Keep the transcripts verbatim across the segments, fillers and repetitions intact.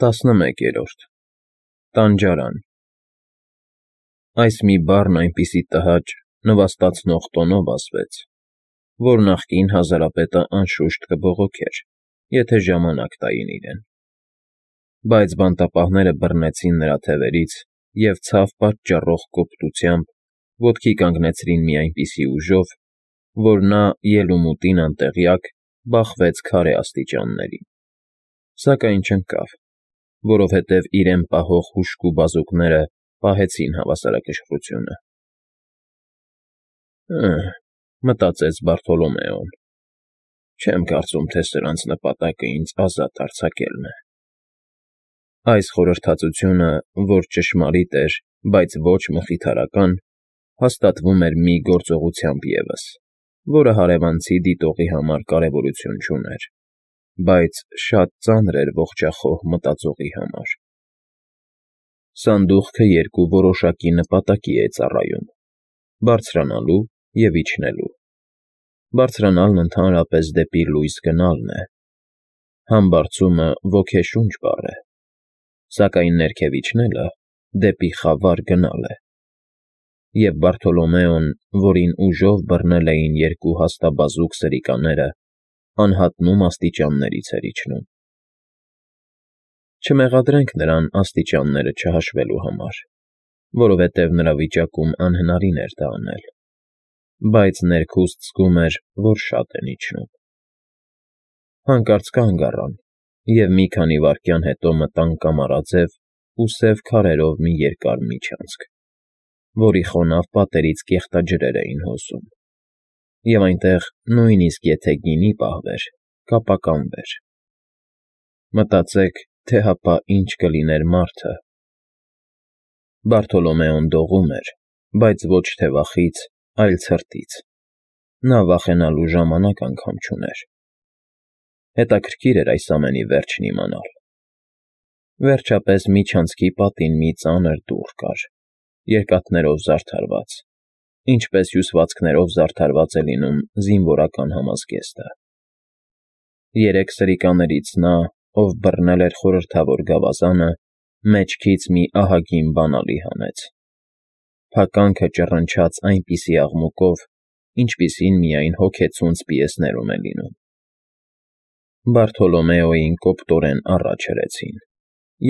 Տասնմեկերորդ Տանջարան Այս մի բառն այնպիսի տհաճ, նվաստացնող տոնով ասվեց, որ նախկին հազարապետը անշուշտ կբողոքեր, եթե ժամանակ տային իրեն, բայց բանտապահները բռնեցին նրա թևերից և ցավ պատճառող կոպտությամբ ոտքի կանգնեցրին մի այնպիսի ուժով, որ նա, ելումուտին անտեղյակ, բախվեց քարե աստիճաններին, սակայն չընկավ, որովհետև իրեն պահող հուժկու բազուկները պահեցին հավասարակշռությունը։ «Հը՛,֊ մտածեց Բարթոլոմեոն,֊ չեմ կարծում, թե սրանց նպատակը ինձ ազատ արձակելն է»։ Այս խորհրդածությունը, որ ճշմարիտ էր, բայց ոչ մխիթարական, հաստատվում էր մի գործողությամբ ևս, որը հարևանցի դիտողի համար կարևորություն չուներ, բայց շատ ծանր էր ողջախոհ մտածողի համար։ Սանդուղքը երկու որոշակի նպատակի է ծառայում՝ բարձրանալու և իջնելու։ Բարձրանալն ընդհանրապես դեպի լույս գնալն է, համբարձումը ոգեշունչ բառ է, սակայն ներքև իջնելը դեպի խավար գնալ է, և Բարթոլոմեոն, որին ուժով բռնել էին երկու հաստաբազուկ սրիկաները, անհատնում աստիճաններից էր իջնում։ Չմեղադրենք նրան աստիճանները չհաշվելու համար, որովհետև նրա վիճակում անհնարին էր դա անել, բայց ներքուստ զգում էր, որ շատ են իջնում։ Հանկարծ կանգ առան և մի քանի վայրկյան հետո մտան կամարաձև ու սև քարերով մի երկար միջանցք, որի խոնավ պատերից կեղտաջրեր էին հոսում, և այնտեղ նույնիսկ եթե գինի պահվեր, կապականվեր։ Մտածեք, թե հապա ինչ կլիներ մարդը։ Բարթոլոմեոն դողում էր, բայց ոչ թե վախից, այլ ցրտից. նա վախենալու ժամանակ անգամ չուներ։ Հետաքրքիր էր այս ամենի վերջն իմանալ։ Վերջապես միջանցքի պատին մի ծանր դուռ կար, երկաթներով զարդարված, ինչպես հյուսվածքներով զարդարված է լինում զինվորական համազգեստը։ Երեք սրիկաներից նա, ով բռնել էր խորհրդավոր գավազանը, մեջքից մի ահագին բանալի հանեց։ Փականքը ճռնչաց այնպիսի աղմուկով, ինչպիսին միայն հոգեցունց պիեսներում է լինում։ Բարթոլոմեոյին կոպտորեն առաջ հրեցին,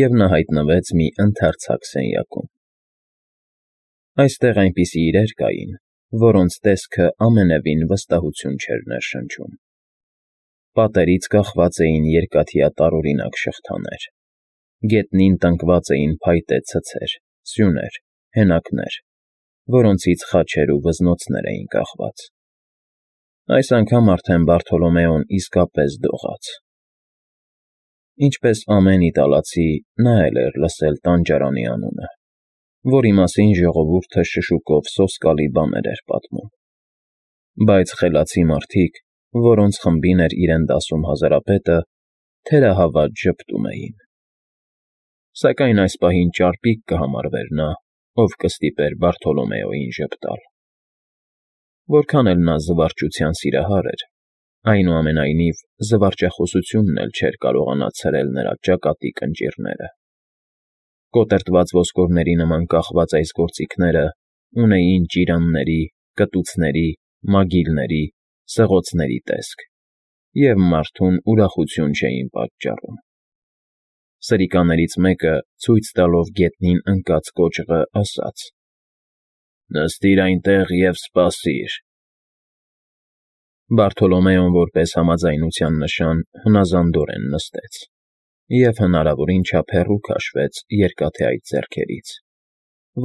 և նա հայտնվեց մի ընդարձակ սենյակում։ Այստեղ այնպիսի իրեր կային, որոնց տեսքը ամենևին վստահություն չէր ներշնչում։ Պատերից կախված էին երկաթյա տարօրինակ շղթաներ, գետնին տնկված էին փայտե ցցեր, սյուներ, հենակներ, որոնցից խաչեր ու վզնոցներ էին կախված։ Այս անգամ արդեն Բարթոլոմեոն իսկապես դողաց։ Ինչպես ամեն իտալացի, նա էլ էր լսել տանջարանի անունը, որի մասին ժողովուրդը շշուկով սոսկալի բաներ էր պատմում։ Բայց խելացի մարդիկ, որոնց խմբին էր իրեն դասում հազարապետը, թերահավատ ժպտում էին։ Սակայն այս պահին ճարպիկ կհամարվեր նա, ով կստիպեր Բարթոլոմեոյին ժպտալ։ Որքան էլ նա զվարճության սիրահար էր, այնուամենայնիվ զվարճախոսությունն էլ չէր կարողանա ցրել նրա ճակատի կնճիռները։ Կոտրտված ոսկորների նման կախված այս գործիքները ունեին ճիրանների, կտուցների, մագիլների, սղոցների տեսք և մարդուն ուրախություն չէին պատճառում։ Սրիկաներից մեկը, ցույց տալով գետնին ընկած կոճղը, ասաց. «Նստիր այնտեղ և սպասիր»։ Բարթոլոմեոն որպես համաձայնության նշան հնազանդորեն նստեց և հնարավորին չափ հեռու քաշվեց երկաթե այդ ձեռքերից,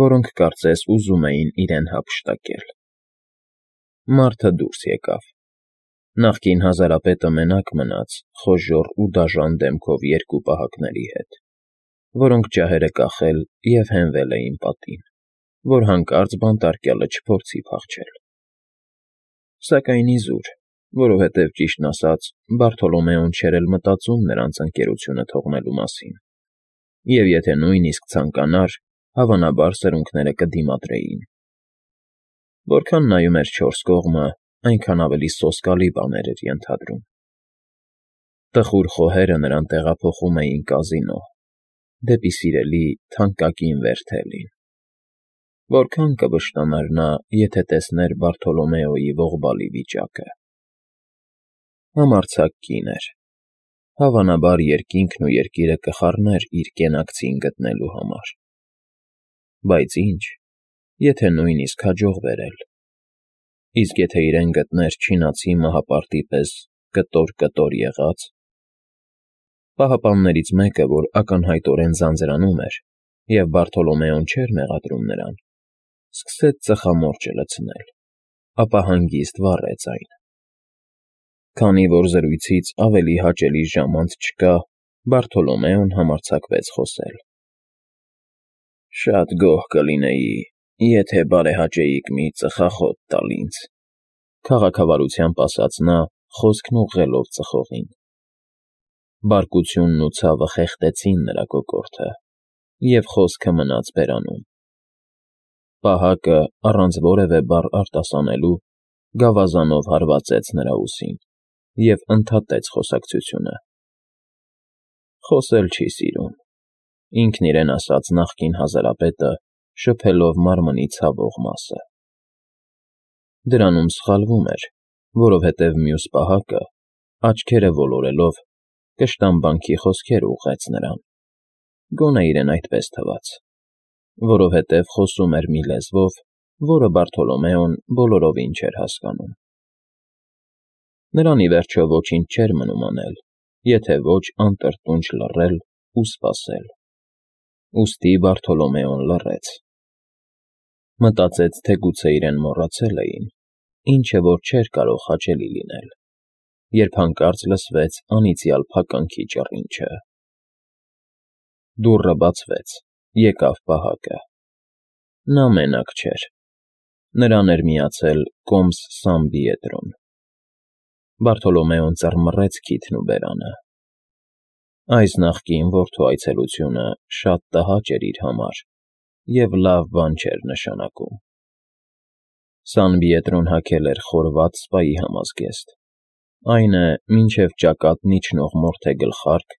որոնք կարծես ուզում էին իրեն հափշտակել։ Մարդը դուրս եկավ։ Նախկին հազարապետը մենակ մնաց խոժոռ ու դաժան դեմքով երկու պահակների հետ, որոնք ջահերը կախել և հենվել էին պատին, որ հանկարծ բանտարկյալը չփորձի փախչել։ Սակայն իզուր, որովհետև, ճիշտն ասած, Բարթոլոմեոն չէր էլ մտածում նրանց ընկերությունը թողնելու մասին, և եթե նույնիսկ ցանկանար, հավանաբար սրունքները կդիմադրեին։ Որքան նայում էր չորս կողմը, այնքան ավելի սոսկալի բաներ էր ենթադրում։ Տխուր խոհերը նրան տեղափոխում էին կազինո, դեպի սիրելի թանկագին Վերթելին։ Որքան կվշտանար նա, եթե տեսներ Բարթոլոմեոյի ողբալի վիճակը։ Համարձակ կին էր, հավանաբար երկինքն ու երկիրը կխառներ իր կենակցին գտնելու համար։ Բայց ինչ, եթե նույնիսկ հաջողվեր էլ, իսկ եթե իրեն գտներ չինացի մահապարտի պես կտոր֊կտոր եղած։ Պահապաններից մեկը, որ ակնհայտորեն ձանձրանում էր, և Բարթոլոմեոն չէր մեղադրում նրան, սկսեց ծխամորճը լցնել, ապա հանգիստ վառեց այն։ Քանի որ զրույցից ավելի հաճելի ժամանց չկա, Բարթոլոմեոն համարձակվեց խոսել. «Շատ գոհ կլինեի, եթե բարեհաճեիք մի ծխախոտ տալ ինձ», քաղաքավարությամբ ասաց նա, խոսքն ուղղելով ծխողին։ Բարկությունն ու ցավը խեղդեցին նրա կոկորդը, և խոսքը մնաց բերանում։ Պահակը, առանց որևէ բառ արտասանելու, գավազանով հարվածեց նրա ուսին և ընդհատեց խոսակցությունը։ Խոսել չի սիրում, ինքն իրեն ասաց նախկին հազարապետը, շփելով մարմնի ցավող մասը։ Դրանում սխալվում էր, որովհետև մյուս պահակը, աչքերը ոլորելով, կշտամբանքի խոսքեր ուղղեց նրան, գոնե իրեն այդպես թվաց, որովհետև խոսում էր մի լեզվով, որը Բարթոլոմեոն բոլորովին չէր հասկանում։ Նրան, ի վերջո, ոչինչ չէր մնում անել, եթե ոչ անտրտունջ լռել ու սպասել։ Ուստի Բարթոլոմեոն լռեց։ Մտածեց, թե գուցե իրեն մոռացել էին, ինչը որ չէր կարող հաճելի լինել, երբ հանկարծ լսվեց անիծյալ փականքի ճռինչը։ Դուռը բացվեց, եկավ պահակը։ Նա մենակ չէր, նրան էր միացել կոմս Սան Պիետրոն։ Բարթոլոմեոն ծռմռեց քիթն ու բերանը։ Այս նախկին որդու այցելությունը շատ տհաճ էր իր համար և լավ բան չէր նշանակում։ Սան Պիետրոն հագել էր խորված սպայի համազգեստ, այն է, մինչև ճակատն իջնող մորթե գլխարկ,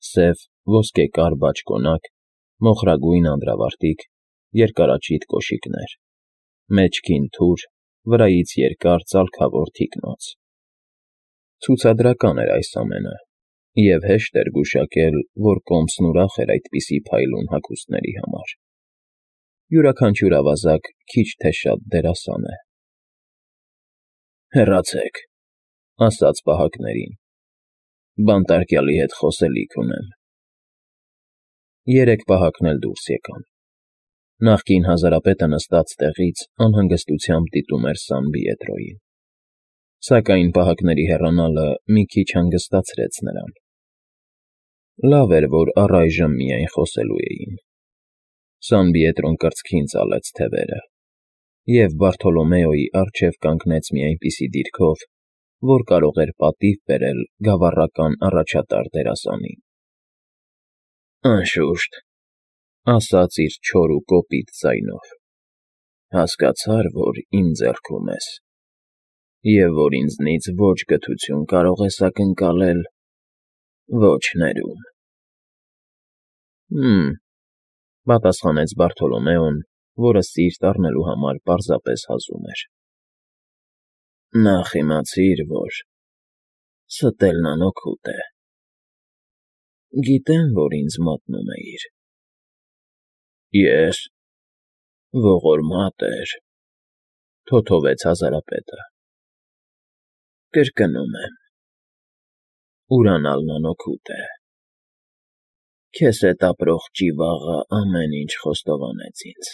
սև ոսկեկար բաճկոնակ, մոխրագույն անդրավարտիք, երկարաճիտ կոշիկներ, մեջքին թուր, վրայից երկար ծալքավոր թիկնոց։ Ցուցադրական էր այս ամենը, և հեշտ էր գուշակել, որ կոմսն ուրախ էր այդպիսի փայլուն հագուստների համար։ Յուրաքանչյուր ավազակ քիչ թե շատ դերասան է։ «Հեռացեք», ասաց պահակներին, «բանտարկյալի հետ խոսելիք ունեմ»։ Երեք պահակն էլ դուրս եկան։ Նախկին հազարապետը նստած տեղից անհանգստությամբ դիտում էր Սան Պիետրոյին։ Սակայն պահակների հեռանալը մի քիչ հանգստացրեց նրան։ Լավ էր, որ առայժմ միայն խոսելու էին։ Սան Պիետրոն կրծքին ծալեց թևերը, և Բարթոլոմեոյի առջև կանգնեց մի այնպիսի դիրքով, որ կարող էր պատիվ բերել գավառական առաջատար դերասանին։ «Անշուշտ,» ասաց իր չոր ու կոպիտ ձայնով, «հասկացար, որ իմ ձեռքում ես, և որ ինձնից ոչ գթություն կարող ես ակնկալել, ոչ ներում»։ «Հը՛մ,» պատասխանեց Բարթոլոմեոն, որը սիրտ առնելու համար պարզապես հազում էր։ «Նախ իմացիր, որ ստելն անօգուտ է։ Գիտեմ, որ ինձ մատնում էիր»։ «Ե՞ս»։ «Ողորմա տեր», թոթովեց հազարապետը։ «Կրկնում եմ, ուրանալն անօգուտ է։ Քեզ հետ ապրող ճիվաղը ամեն ինչ խոստովանեց ինձ»։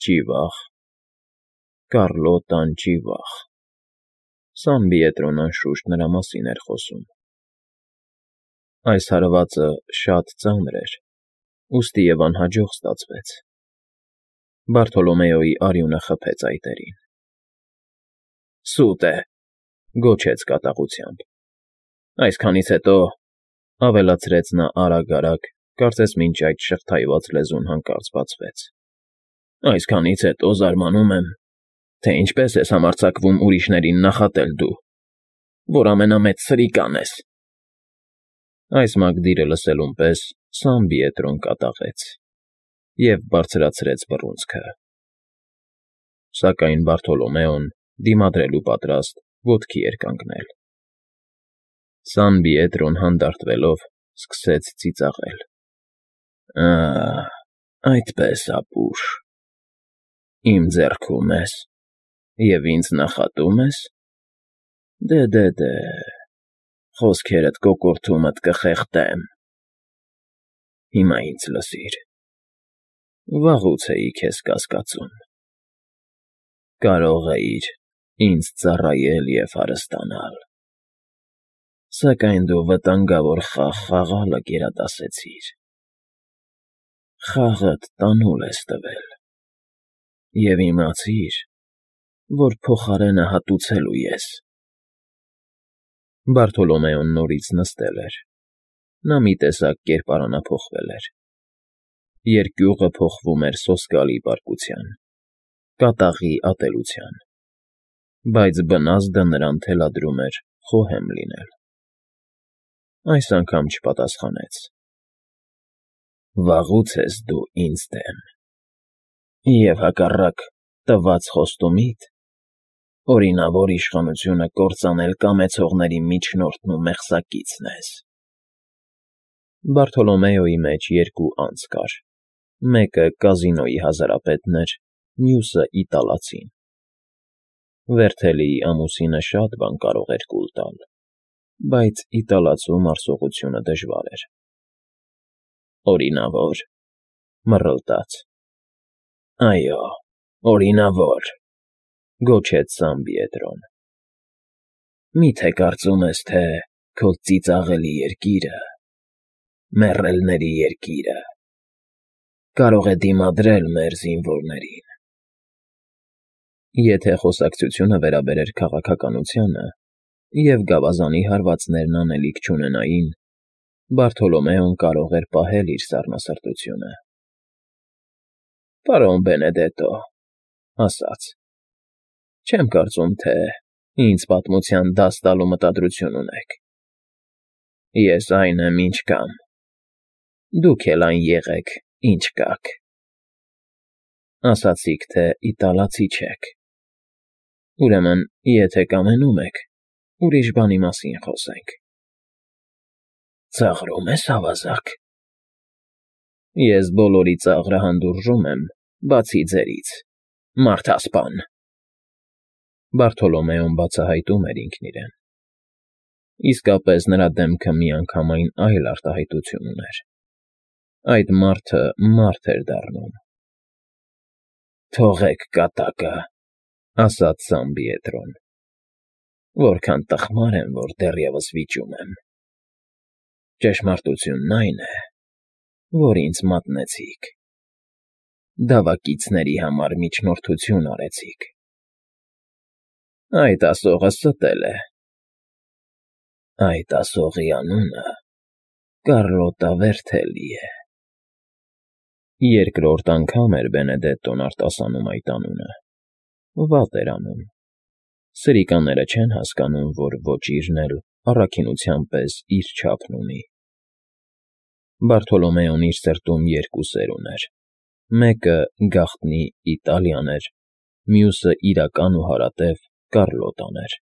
«Ճիվա՞ղ»։ «Կառլոտան ճիվաղ»։ Սան Պիետրոն, անշուշտ, նրա մասին էր խոսում։ Այս հարվածը շատ ծանր էր, ուստի և անհաջող ստացվեց։ Բարթոլոմեոյի արյունը խփեց այտերին։ «Սուտ է», գոչեց կատաղությամբ։ «Այսքանից հետո,» ավելացրեց նա արագ֊արագ, կարծես մինչ այդ շղթայված լեզուն հանկարծ բացվեց, «այսքանից հետո զարմանում եմ, թե ինչպես ես համարձակվում ուրիշներին նախատել դու, որ ամենամեծ սրիկան ես»։ Այս մագդիրը լսելուն պես Սան Պիետրոն կատաղեց և բարձրացրեց բռունցքը, սակայն Բարթոլոմեոն, դիմադրելու պատրաստ, ոտքի էր կանգնել։ Սան Պիետրոն հանդարտվելով սկսեց ծիծաղել. «Ա՜, այդպես, ապուշ, իմ ձեռքում ես և ինձ նախատո՞ւմ ես։ Դե՛, խոսքերդ կոկորդումդ կխեղդեմ։ Հիմա ինձ լսիր. վաղուց էի քեզ կասկածում, կարող էիր ինձ ծառայել և հարստանալ, սակայն դու վտանգավոր խաղ խաղալը գերադասեցիր, խաղդ տանուլ ես տվել և իմացիր, որ փոխարենը հատուցելու ես»։ Բարթոլոմեոն նորից նստել էր, նա մի տեսակ կերպարանափոխվել էր, երկյուղը փոխվում էր սոսկալի պարկության, կատաղի ատելության, բայց բնազդը նրան թելադրում էր խոհեմ լինել։ Այս անգամ չպատասխանեց։ «Վաղուց ես դու ինձ դեմ, և հակառակ տված խոստումիդ, օրինավոր իշխանությունը կործանել կամեցողների միջնորդն ու մեղսակիցն ես»։ Բարթոլոմեոյի մեջ երկու անձ կար, մեկը կազինոյի հազարապետն էր, մյուսը իտալացին։ Վերթելիի ամուսինը շատ բան կարող էր կուլ տալ, բայց իտալացու մարսողությունը դժվար էր։ «Օրինավոր», մռլտաց։ «Այո, օրինավոր», գոչեց Սան Պիետրոն։ «Մի՞թե կարծում ես, թե քո ծիծաղելի երկիրը, մեռելների երկիրը, կարող է դիմադրել մեր զինվորներին»։ Եթե խոսակցությունը վերաբերեր քաղաքականությանը, և գավազանի հարվածներն անելիք չունենային, Բարթոլոմեոն կարող էր պահել իր սառնասրտությունը։ «Պարոն Բենեդետո», ասաց, «չեմ կարծում, թե ինձ պատմության դաս տալու մտադրություն ունեք։ Ես այն եմ, ինչ կամ, դուք էլ այն եղեք, ինչ կաք։ Ասացիք, թե իտալացի չեք, ուրեմն, եթե կամենում եք, ուրիշ բանի մասին խոսենք»։ «Ծաղրում ես, ավազակ»։ «Ես բոլորի ծաղրը հանդուրժում եմ, բացի ձերից, մարդասպան»։ Բարթոլոմեոն բացահայտում էր ինքն իրեն։ Իսկապես նրա դեմքը միանգամայն այլ արտահայտություն ուներ։ Այդ մարդը մարդ էր դառնում։ «Թողեք կատակը», ասաց Սան Պիետրոն, «որքան տխմար եմ, որ դեռևս վիճում եմ։ Ճշմարտությունն այն է, որ ինձ մատնեցիք, դավակիցների համար միջնորդություն արեցիք։ Այդ ասողը ստել է։ Այդ ասողի անունը Կառլոտա Վերթելի է»։ Երկրորդ անգամ էր Բենեդետտոն արտասանում այդ անունը։ Վատ էր անում։ Սրիկաները չեն հասկանում, որ ոճիրն էլ առաքինության պես իր չափն ունի։ Բարթոլոմեոն իր սրտում երկու սեր ուներ. մեկը գաղտնի Իտալիան էր, մյուսը իրական ու հարատև Կառլոտան էր։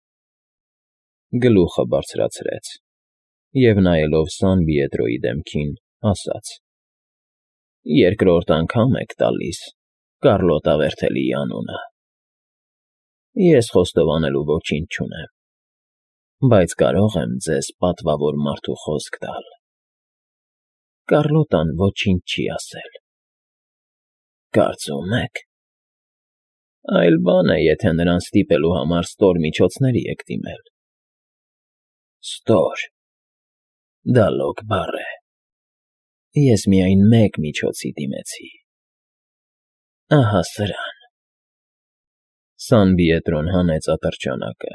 Գլուխը բարձրացրեց և, նայելով Սան Պիետրոյի դեմքին, ասաց. «Երկրորդ անգամ եք տալիս Կառլոտա Վերթելիի անունը։ Ես խոստովանելու ոչինչ չունեմ, բայց կարող եմ ձեզ պատվավոր մարդու խոսք տալ. Կառլոտան ոչինչ չի ասել։ Կարծում ե՞ք։ Այլ բան է, եթե նրան ստիպելու համար ստոր միջոցների եք դիմել։ Ստոր… դա լոկ բառ է։ Ես միայն մեկ միջոցի դիմեցի. ահա սրան։ Սան Պիետրոն հանեց ատրճանակը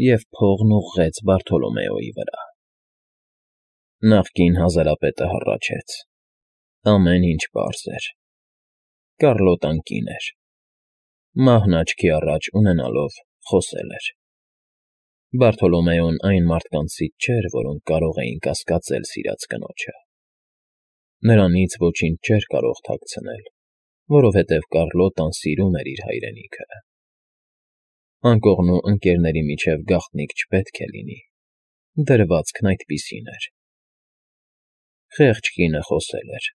և փողն ուղղեց Բարթոլոմեոյի վրա։ Նախկին հազարապետը հառաչեց։ Ամեն ինչ պարզ էր։ Կառլոտան կին էր։ Մահն աչքի առաջ ունենալով խոսել էր։ Բարթոլոմեոն այն մարդկանցից չէր, որոնք կարող էին կասկածել սիրած կնոջը։ Նրանից ոչինչ չէր կարող թաքցնել, որովհետև Կառլոտան սիրում էր իր հայրենիքը։ Անկողնու ընկերների միջև գաղտնիք չպետք է լինի, դրվածքն այդպիսին էր։ Խեղճ կինը խոսել էր։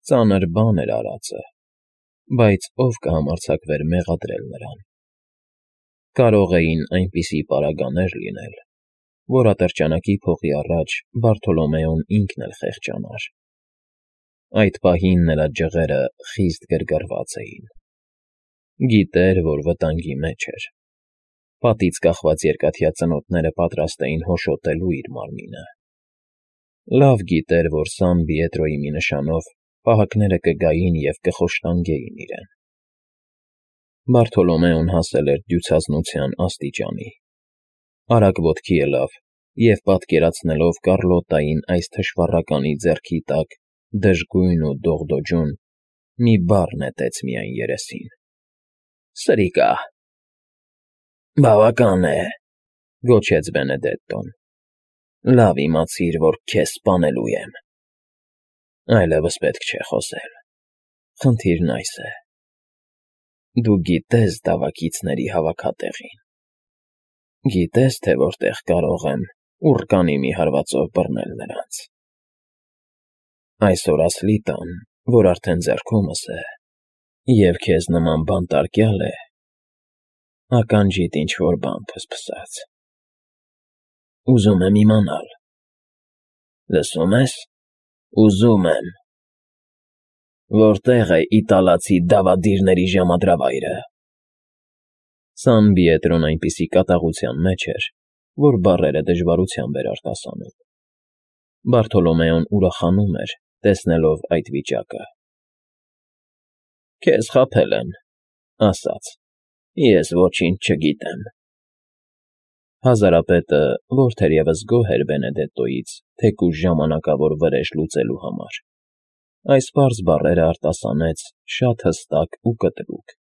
Ծանր բան էր արածը, բայց ով կհամարձակվեր մեղադրել նրան։ Կարող էին այնպիսի պարագաներ լինել, որ ատրճանակի փողի առաջ Բարթոլոմեոն ինքն էլ խեղճանար։ Այդ պահին նրա ջղերը խիստ գրգռված էին։ Գիտեր, որ վտանգի մեջ էր։ Պատից կախված երկաթյա ծնոտները պատրաստ էին հոշոտելու իր մարմինը։ Լավ գիտեր, որ Սան Պիետրոյի մի նշանով պահակները կգային և կխոշտանգեին իրեն։ Բարթոլոմեոն հասել էր դյուցազնության աստիճանի։ Արագ ոտքի ելավ և, պատկերացնելով Կառլոտային այս թշվառականի ձեռքի տակ դժգույն ու դողդոջուն, մի բառ նետեց միայն երեսին. «Սրիկա»։ «Բավական է», գոչեց Բենեդետտոն։ «Լավ իմացիր, որ քեզ սպանելու եմ։ Այլևս պետք չէ խոսել։ Խնդիրն այս է. դու գիտես զավակիցների հավաքատեղին։ Գիտես, թե որտեղ կարող եմ ուռկանի մի հարվածով բռնել նրանց։ Այսօր ասլի տան, որ արդեն ձեռքումս է, և քեզ նման բանտարկյալ է, ականջիդ ինչ֊որ բան փսփսաց։ Ուզում եմ իմանալ։ Լսո՞ւմ ես, ուզում եմ։ Որտե՞ղ է իտալացի դավադիրների ժամադրավայրը»։ Սան Պիետրոն այնպիսի կատաղության մեջ էր, որ բառերը դժվարությամբ էր արտասանում։ Բարթոլոմեոն ուրախանում էր, տեսնելով այդ վիճակը։ «Քեզ խաբել են», ասաց, «ես ոչինչ չգիտեմ»։ Հազարապետը, որ թերևս գոհ էր Բենեդետտոյից թեկուզ ժամանակավոր վրեժ լուծելու համար, այս պարզ բառերը արտասանեց շատ հստակ ու կտրուկ։